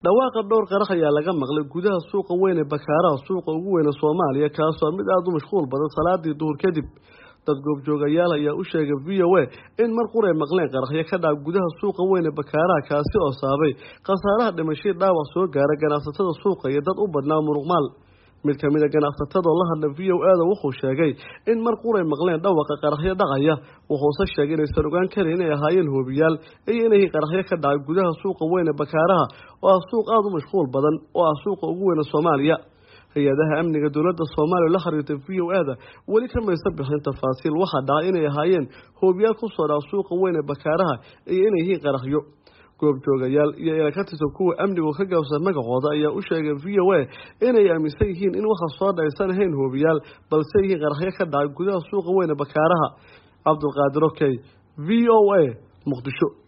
Dhawaaqa dhowr qarax ayaa laga maqlay gudaha suuqa weyn ee Bakaaraha, suuqa ugu weyn ee Soomaaliya, kaasoo mid aada u mashquul badan salaadii duhur kadib. Dad goobjoogayaal ayaa u sheegay VOA in mar qur ay maqleen qaraxyo ka dhaca gudaha suuqa weyn ee Bakaaraha, kaasi oo saabay khasaaraha dhimashadii dhaawac soo gaara ganacsatada suuqa iyo dad u badnaa muruqmaal. Mid ka mid a ganacsatada oo la hadla VOA-da wuxuu sheegay in mar qur ay maqleen dhawaqa qaraxyo dhacaya, wuxuuse sheegay inaysan ogaan karin inay ahaayeen hoobiyaal iyo inay qaraxyo ka dhacay gudaha suuqa weyn ee Bakaaraha, oo ah suuq aada u mashquul badan oo ah suuqa ugu weyn ee Soomaaliya. Hay-adaha amniga dowladda Soomaaliya la xiriirtay VOA-da weli kamaysa bixin tafaasiil waxaa dhacay inay ahaayeen hoobiyaal ku soo dhaca suuqa weyn ee Bakaaraha iyo inay yihiin qaraxyo. Goobjoogayaal iyo ila ka tirsan kuwa amnigu ka gaabsan magacooda ayaa u sheegay VOA inay aaminsan yihiin in waxa soo dhacaysan ahayn hoobiyaal, balse yihiin qaraxyo ka dhacay gudaha suuqa weyn ee Bakaaraha. Cabdulqaadir Okey, VOA, Muqdisho.